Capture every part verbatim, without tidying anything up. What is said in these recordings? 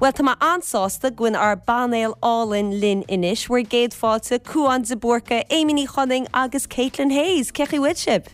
Well tá mé an-sásta go bhfuil ár bpainéal álainn linn anois, bhur gcéad fáilte Cuan de Búrca, Amy Ní Chonaing agus Caitlin Hayes, Cén chaoi a bhfuil sibh?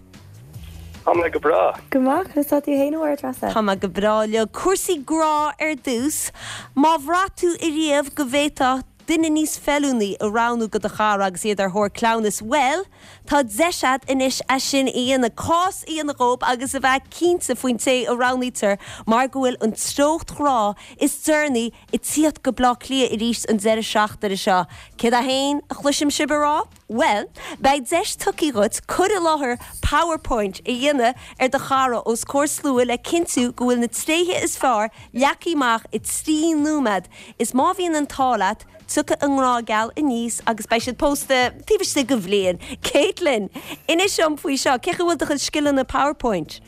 Tá mé go breá. Go maith tá tú féin a Treasa. Tá mé go breá le cúrsaí grá ar dtús, Má bhraith tú riamh go bhféadfá duine níos feiliúnaí a roghnú do do chara agus iad ar thóir cleamhnais well, tá deis agat anois é sin a dhéanamh cás a dhéanamh dóibh agus a bheith cinnte faoin té a roghnaítear mar go bhfuil an treocht ghrá is deireanaí ag tíocht go Bleá Cliath arís an deireadh seachtaine seo. Céard é féin a chloisim sibh rá? Well, beidh deis tugtha dhuit cur i láthair PowerPoint a dhéanamh ar do chara os comhair slua le cinntiú go bhfuil na tréithe is fearr leagtha amach i trí nóiméad is má bhíonn an t-ádh leat tiocfaidh an grá geal aníos agus beidh siad pósta taobh istigh de bhliain. Caitlin, inis dom faoi seo, cé go bhfuil do chuid scileanna PowerPoint.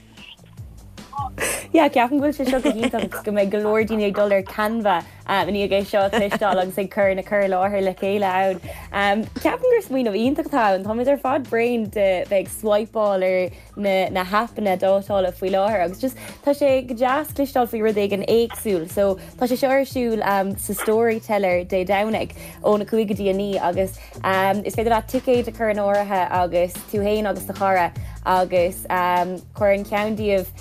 Ja ceapaim go bhfuil sé seo go hiontach agus go mbeidh go leor daoine ag dul ar Canva um, ní é seo tuisteáil agus ag cur na cur i láthair le chéile ann. Um, Ceapaim gur smaoineamh iontach atá ann Táimid ar fad bréan de bheith swipeáil ar na, na haipeanna dátála faoi láthair agus just tá sé go deas cloisteáil faoi rud éigin éagsúil, so tá sé seo ar siúl um, sa Storyteller Dé Domhnaigh óna cúig go dtí a naoi agus um, is féidir leat ticéid a chur in áirithe agus tú féin agus do chara agus um, cuireann ceann díobh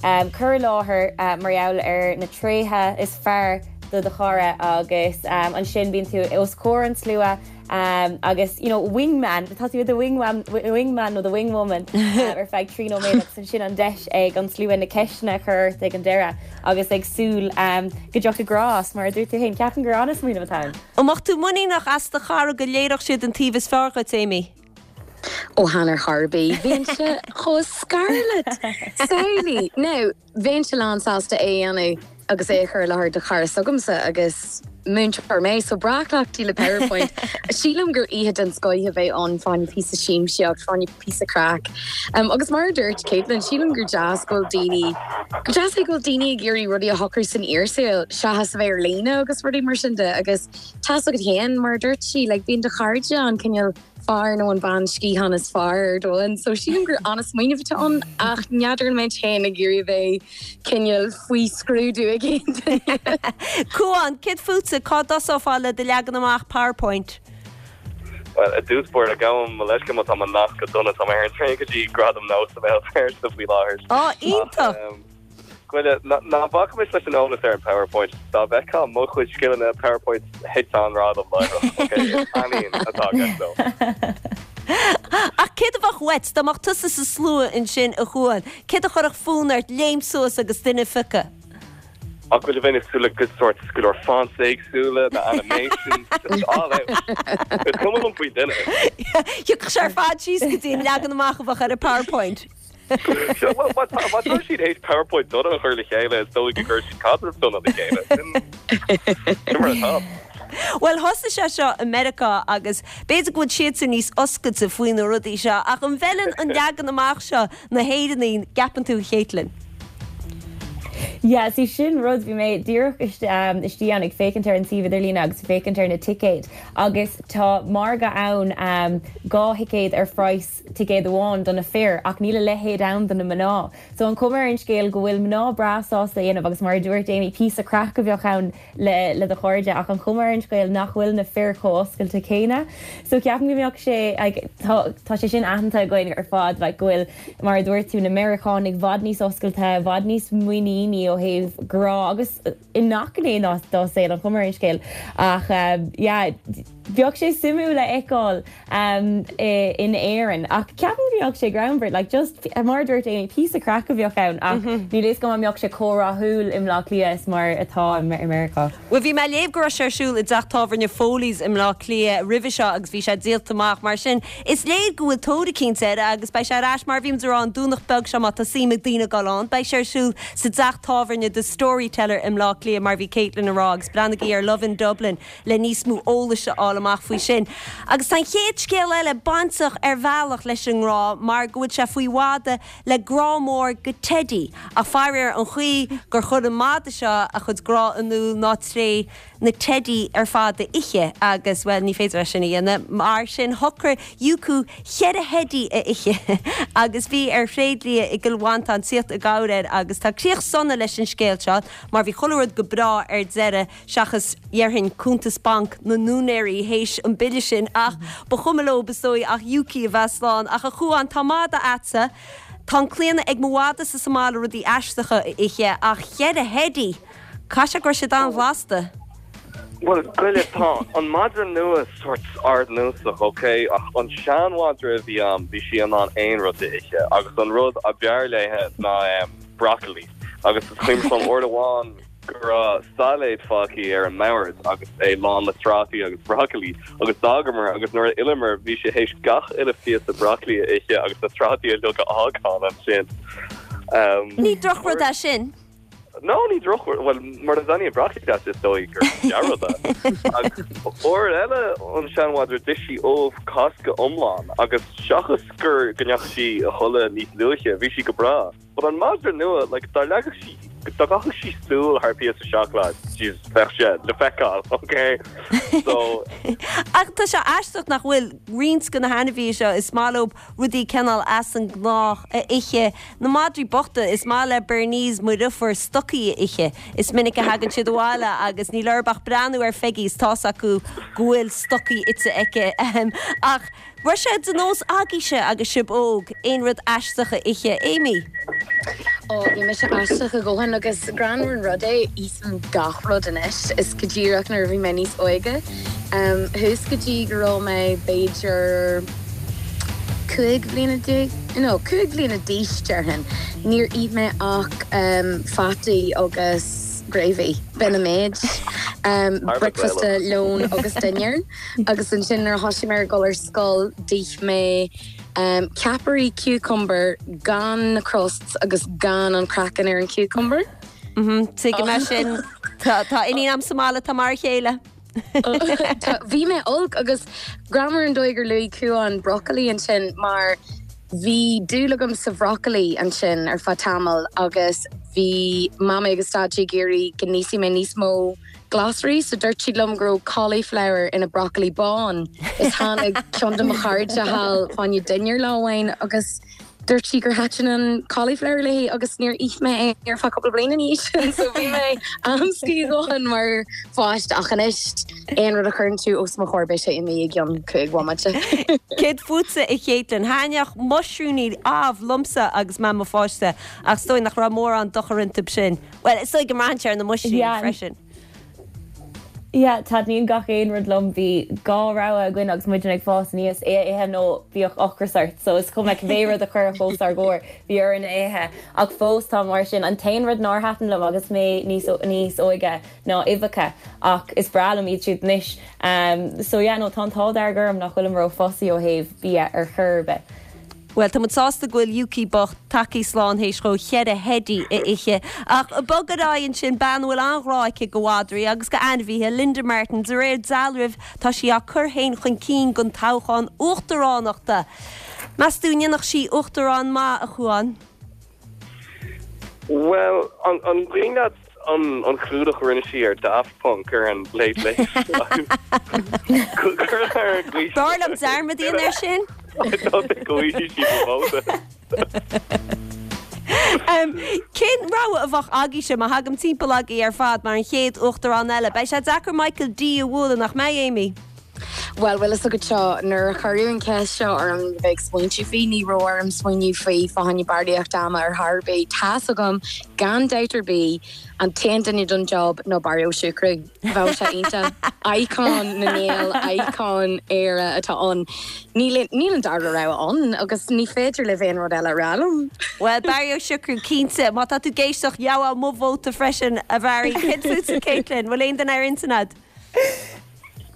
um, cur i láthair uh, mar gheall ar na tréithe is fearr do do chara agus um, ansin bíonn tú os comhair an tslua um, agus you know, wingman tá tú the wingman wingman nó the wingwoman uh, ar feadh trí nóiméad agus ansin an deis ag an slua na ceisteanna a chur ag an deireadh agus ag súil um, go dtiocfaidh grá mar dúirt tú féin ceapaim gur an-smaoineamh atá ann. An mbeadh tú muiníneach as do chara go léireodh siad an taobh is fearr dhuit Amy. ó Hanner Harby, Bhíse cho Scarlett Saoí No, bheinnse lánsásta é a dhéanamh agus é chur i láthair do chara s'agamsa agus múinteoir mé so breá-chleachtaithe le PowerPoint. Sílim gur oíche den scoth a bheidh ann fá choinne píosa siamsaíocht fá choinne píosa craic. Um, agus mar dúirt Caitlin sílim gur deas go bhfuil daoine go deas é go bhfuil daoine ag iarraidh rudaí a shocrú san fhíorshaol seachas a bheith ar líne agus rudaí mar sin de agus tá go héan mar dúirt sí le bíonn do chairde an cineál fear nó an bhean sciatháin is fearr dóin, so sílim gur an-smaoineamh atá ann ach n'fheadar mé féin ag iarraidh bheith cineál faoi scrúdú ag Cuan, céard fútsa cá dtosófá le do leagan amach PowerPoint. Well, i dtús báire gabhaim mo leithscéal má tá mo nasc go dona tá ar an traein go dtí Gradam NÓS sa Bhéal Feirste faoi láthair. Á iontach! Bhuel ná bacaimis leis an eolas ar an PowerPoint dá bheith mo chuid scileanna PowerPoint hit an radam aníon atá so. Ach céard a bheadh uait dá mbeadh tusa sa slua ansin a Chuain, Céard a chuirfeadh fonn ort léim suas agus duine a phiocadh. Ach bhfuil bheith súla go sort go leor fonts éagsúla na animations all out. Is cuma liom faoi duine. Thiocfadh sé ar fad síos go dtí an leagan amach a bheadh ar a PowerPoint. Má tá siad théis PowerPoint dona a chur le chéile is dóigh go gcuir siad caidreamh dona le chéile. Sin mar atá. Well thosaigh sé seo i Meiriceá agus b'fhéidir go bhfuil siad níos oscailte faoi na rudaí seo ach an bhfeileann an leagan amach seo na hÉireannaigh gceapann tú Caitlin. Ja, sí sin rud bhí mé díreach istigh ann ag féachaint ar an suíomh idirlín agus féachaint ar na ticéid agus tá margadh ann um, dhá thicéad ar phraghas ticéad amháin do na fir ach níl a leithéid ann do na mná. So an chuma ar an scéal go bhfuil mná breá sásta dhéanamh agus mar dúirt Amy píosa craic a bheadh ann le le do chairde ach an chuma ar an scéal nach bhfuil na fir chomh oscailte céanna. So ceapaim go mbeadh sé like, tá tá sé sin aitheanta againn ar fad like, go bhfuil mar a dúirt tú na Meiriceánaigh i bhfad níos oscailte, i bhfad níos muiníní ó thaobh grá agus i ngach gné dá saol an chuma ar an scéal ach um, yeah, bheadh sé suimiúil a fheiceáil um, in Éirinn ach ceapaim go mbeadh sé greannmhar like just mar dúirt Amy píosa craic a bheadh ann ach níl fhios go mbeadh sé chomh rathúil i mBleá Cliath is mar atá i Meiriceá. Well bhí mé léamh go raibh sé ar siúl i dteach tábhairne Foley's i mBleá Cliath roimhe seo agus bhí sé díolta amach mar sin. Is léir go bhfuil tóir eicínt air agus beidh sé ar ais mar bhí rá an Domhnach beag seo má tá suim ag daoine dul ann, beidh sé ar siúl sa teach tábhairne The Storyteller i mBleá Cliath mar bhí Caitlin ag rá agus breathnaigí ar Love in Dublin le níos mó eolais a fháil fháil amach faoi sin. Agus tá an chéad scéal eile bainteach ar bhealach leis an ngrá mar go bhfuil sé faoi mhadadh le grá mór go teidí ach faraor an chaoi gur chuir an madadh seo a chuid grá in iúl ná tré na teidí ar fad a ithe agus well ní féidir é sin a dhéanamh mar sin shocraigh Yuku ceithre theidí a ithe agus bhí ar thréidlia i gCill Mhantáin tíocht i gcabhair air agus tá críoch sona leis an scéal seo mar bhí chuile rud go breá ar deireadh seachas déarfainn cuntas banc na n-úinéirí théis an bille sin ach ba chuma leo is dóigh ach Yuki a bheith slán ach a Chuáin tá madadh agatsa Tá an claonadh ag mo mhadadh sa mbaile rudaí aisteacha a ithe ach ceithre theidí Caithfidh sé go raibh siad an-bhlasta. Well goile tá an madra nua sort ardnósach ok ach an seanmhadra a bhí agam bhí sí in ann aon rud a ithe agus an rud ab fhearr léi ná um, broccoli agus is cuimhin liom uair amháin go raibh sailéad fágtha ar an mbord agus é lán le trátaí agus broccoli agus d'fhágamar agus nuair a d'fhilleamar bhí sé théis gach uile phíosa broccoli a ithe agus na trátaí a a fhágáil ansin. Um, Ní drochrud é sin. No ní droch well mar a bhíonn broccoli is dóigh gur dea-rud Uair eile an seanmhadra d'ith sí ubh Cásca iomlán agus seachas gur go ndeachaigh sí a chodladh níos luaithe bhí sí go breá. But an madra nua like, dá leagfadh sí dá gcaithfeadh sí súil thar píosa seacláid bheadh sé le feiceáil okay so Ach tá sé aisteach nach bhfuil roinnt de na hainmhithe seo is maith leo rudaí cineál as an ngnách a ithe na madraí bochta is maith le Bernese mo dheirfiúr stocaí a ithe. Is minic a thagann siad abhaile agus níl orthu ach breathnú ar Pheigí is tá's acu go bhfuil stocaí ite aici ach Raibh sé de nós agaibhse agus sibh óg aon rud aisteach a ithe Amy. Ó bhí mise aisteach a dhóthain agus greannmhar an rud é ithim gach rud anois is go díreach nuair a bhí mé níos óige. Um, Thuas go dtí go raibh mé b'fhéidir cúig bliana déag no, cúig bliana d'aois déarfainn. Níor ith mé ach um, fataí agus gravy b'in an méid. Um, breakfast lón agus dinnéar agus ansin nuair a thosaigh mé ag dul ar scoil d'ith mé um, ceapairí cucumber gan na crusts agus gan an craiceann ar an cucumber. Tuigim é sin Tá iníon agam sa mbaile tá mar a chéile. Bhí mé olc agus greannmhar an dóigh gur luaigh Cuan broccoli ansin mar bhí dúil agam sa bhroccoli ansin ar feadh tamall agus bhí mama agus daidí ag iarraidh go n-íosfaidh mé níos mó glasraí so dúirt siad liom go raibh cauliflower ina broccoli bán is tháinig ceann de mo chairde thall fá choinne dinnéar lá amháin agus dúirt sí gur thaitin an cauliflower léi agus níor ith mé é ar feadh cúpla bliain ina dhiaidh sin so bhí mé amscaí dhóthain mar pháiste ach anois aon rud a chuireann tú os mo chomhair beidh sé imithe i gceann cúig bhomaite. Céard fútsa a Chéitlinn thaitníodh muisriúiní amh liomsa agus mé i mo pháiste ach is dóigh nach raibh mórán dochar iontu sin. Well is dóigh go mbraitheann sé ar na muisriúiní Yeah. freisin. Yeah, taitníonn gach aon rud liom bhí dhá rogha againn agus muid ag fás aníos é a ithe nó bhíodh ocras ort, so is cuma cibé rud a chuirfí os ár gcomhair bhí orainn é a ithe ach fós tá mar sin an t-aon rud nár thaitin liom agus mé níos níos óige ná uibheacha ach is breá liom iad siúd anois. Um, so yeah, no tá an t-ádh dearg orm nach bhfuilim ró-fussy ó thaobh bia ar chor ar bith. Well tá muid sásta go bhfuil Yuki bocht tagtha slán théis dó ceithre theidí a ithe ach bog ar aghaidh ansin bean a bhfuil an-ghrá aici do mhadraí agus do ainmhithe Linda Martin de réir dealraimh tá sí á cur féin chun cinn don toghchán uachtaránachta. Meas tú an ndéanfadh sí uachtarán maith a Chuáin? Well an an cuimhin leat an an clúdach a rinne sí ar Daft Punk ar an Late Late B'fhearr liom dearmad a dhéanamh air sin? go sí vóta. Um, Cén rogha a bheadh agaibhse má thagaim timpeall agaibh ar fad mar an chéad uachtarán eile, Beidh sé deacair Michael D a bhualadh nach mbeidh Amy. Well well is agat seo nuair a cuireadh an cheist seo orm bheith smaointiú faoi ní raibh orm smaoineamh faoi fá choinne barraíocht ama ar chor ar bith Tá's agam gan dabht ar bith an t-aon duine don job ná Barry Ó Siochrú. Bheadh sé iontach icon na nGael icon Éire atá ann. Níl níl an dara rogha ann agus ní féidir le aon rud eile rá liom. Well Barry Ó Siochrú cinnte má tá tú ag éisteacht gheobhaidh mo vóta freisin a Bharry Céard fútsa Caitlin, bhfuil aon duine ar intinn agat?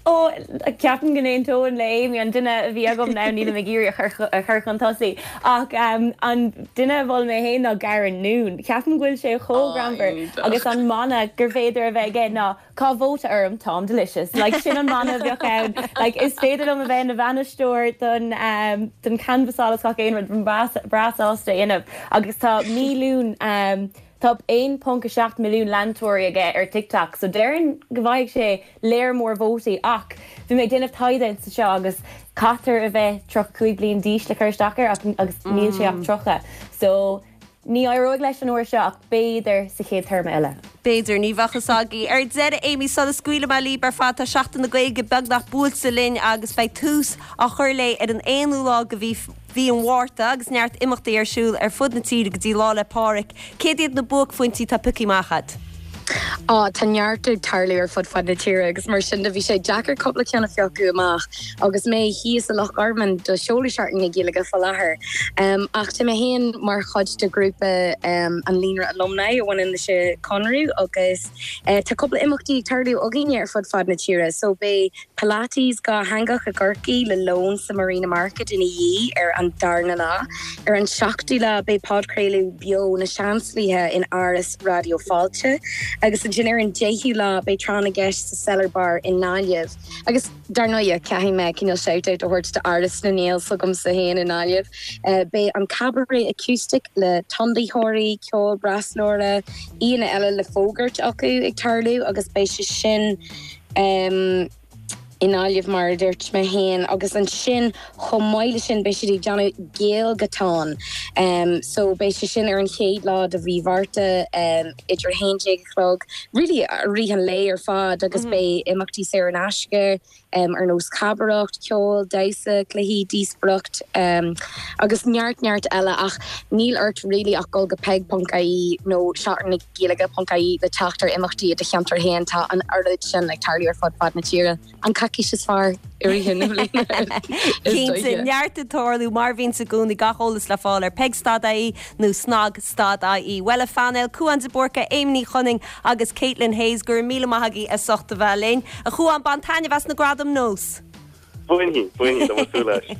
Ó ceapaim go n-aontóinn le Amy an duine a bhí agam ná níl ag iarraidh a chur chun tosaigh ach um, an duine a mhol mé féin ná Garren Noone. Ceapaim go bhfuil sé chomh greannmhar agus an mana gur féidir a bheith aige ná cá vóta orm táim delicious. Like sin an mana bheadh ann like, is féidir liom a bheith ina bhainisteoir don um, don canbhasáil is gach aon rud breá sásta dhéanamh agus tá milliún um, Tá aon ponc a seacht milliún leantóirí aige ar TikTok, so déarfainn go bhfaighidh sé léar mór vótaí ach bhí mé ag déanamh taighde sa seo agus caithfear a bheith tríocha cúig bliain d'aois le cur isteach air agus níl sé ach tríocha. So ní éireoidh leis an uair seo ach b'fhéidir sa chéad téarma eile. B'fhéidir ní bheadh fhios againn. Ar deireadh Amy sula scaoilfidh mé libh ar fad tá Seachtain na Gaeilge beagnach buailte linn agus beidh tús á chur léi ar an aonú lá de mhí mhí an Mhárta agus neart imeachtaí ar siúl ar fud na tíre go dtí Lá 'le Pádraig. Céard iad na buaicphointí atá pioctha amach agat? Á tá neart ag tarlú ar fud fad na tíre agus mar sin de bhí sé deacair cúpla ceann a phiocadh amach agus mé thíos i Loch Garman do seoladh Seachtain na Gaeilge faoi láthair. Um, ach tá mé féin mar chuid de grúpa um, an líonra alumni a bhaineann leis an Conradh agus uh, tá cúpla imeachtaí ag tarlú againne ar fud fad na tíre, so beidh Pilates dátheangach i gCorcaigh le lón sa Marina Market ina dhiaidh ar an darna lá. Ar an seachtú lá beidh podchraoladh beo na Seansálaithe in Áras Raidió Fáilte, agus ansin ar an deichiú lá beidh tráth na gceist sa Cellar Bar i nGaillimh. Agus dar ndóigh caithfidh mé cineál shout out a thabhairt do Áras na nGael s'agamsa féin i nGaillimh. Uh, beidh an cabaret acoustic le tondathóirí, ceol breaslóra, aíonna eile le fógairt acu ag tarlú agus beidh sé sin um, i nGaillimh mar a dúirt mé féin agus ansin chomh maith leis sin beidh siad ag déanamh Gaelgatán. Um, so beidh sé sin ar an chéad lá de mhí Mhárta um, idir haon déag a chlog, really rith an lae ar fad agus mm -hmm. beidh imeachtaí saor in aisce um, ar nós cabaireacht, ceol, damhsa, cluichí, díospóireacht um, agus neart neart eile ach níl ort really ach dul go peig.ie nó seachtain na Gaeilge.ie le teacht ar imeachtaí i do cheantar féin tá an oiread sin ag tarlú ar fud fad na tíre. An coicís is fearr i rith na bliana. Cinnte neart ag tarlú mar bhíonn i gcónaí gach eolas le fáil ar peig.ie nó snag stad ie. Well a phainéal Cuan de Búrca Amy Ní Chonning agus Caitlin Hayes gur míle maith agaibh as ucht a bheith linn. A Chuan bain taitneamh as na gradaim nós. Buhin buhin leis.